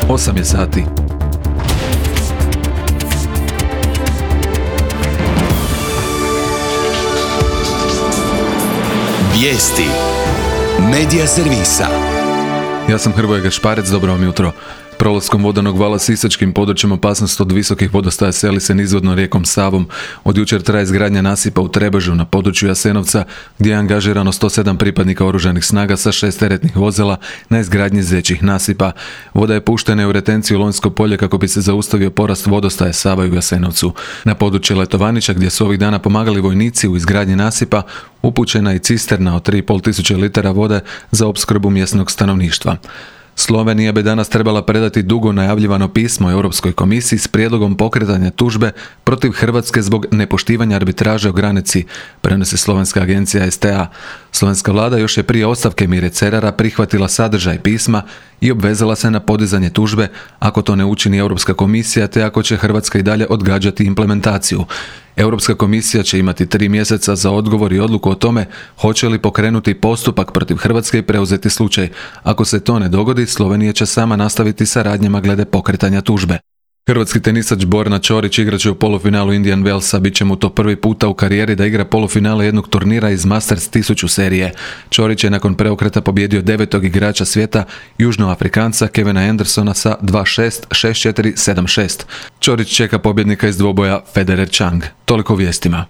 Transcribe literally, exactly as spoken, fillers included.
osam je sati. Vijesti Medija servisa. Ja sam Hrvoje Gašparec, dobro vam jutro. Prolaskom vodenog vala sisačkim područjem opasnost od visokih vodostaja seli se nizvodno rijekom Savom. Od jučer traje izgradnja nasipa u Trebežu na području Jasenovca, gdje je angažirano sto sedam pripadnika oružanih snaga sa šest teretnih vozila na izgradnji većih nasipa. Voda je puštena u retenciju Lonjsko polje kako bi se zaustavio porast vodostaja Sava u Jasenovcu. Na područje Letovanića, gdje su ovih dana pomagali vojnici u izgradnji nasipa, upućena i cisterna od tri i pol tisuće litara vode za opskrbu mjesnog stanovništva. Slovenija bi danas trebala predati dugo najavljivano pismo Europskoj komisiji s prijedlogom pokretanja tužbe protiv Hrvatske zbog nepoštivanja arbitraže o granici, prenosi slovenska agencija S T A. Slovenska vlada još je prije ostavke Mire Cerara prihvatila sadržaj pisma i obvezala se na podizanje tužbe ako to ne učini Europska komisija, te ako će Hrvatska i dalje odgađati implementaciju. Europska komisija će imati tri mjeseca za odgovor i odluku o tome hoće li pokrenuti postupak protiv Hrvatske i preuzeti slučaj. Ako se to ne dogodi, Slovenija će sama nastaviti sa radnjama glede pokretanja tužbe. Hrvatski tenisač Borna Ćorić igrat će u polufinalu Indian Wellsa, bit će mu to prvi puta u karijeri da igra polufinale jednog turnira iz Masters tisuću serije. Ćorić je nakon preokreta pobjedio devetog igrača svijeta, Južnoafrikanca Kevina Andersona sa dva šest, šest četiri, sedam šest. Ćorić čeka pobjednika iz dvoboja Federer Chang. Toliko vijestima.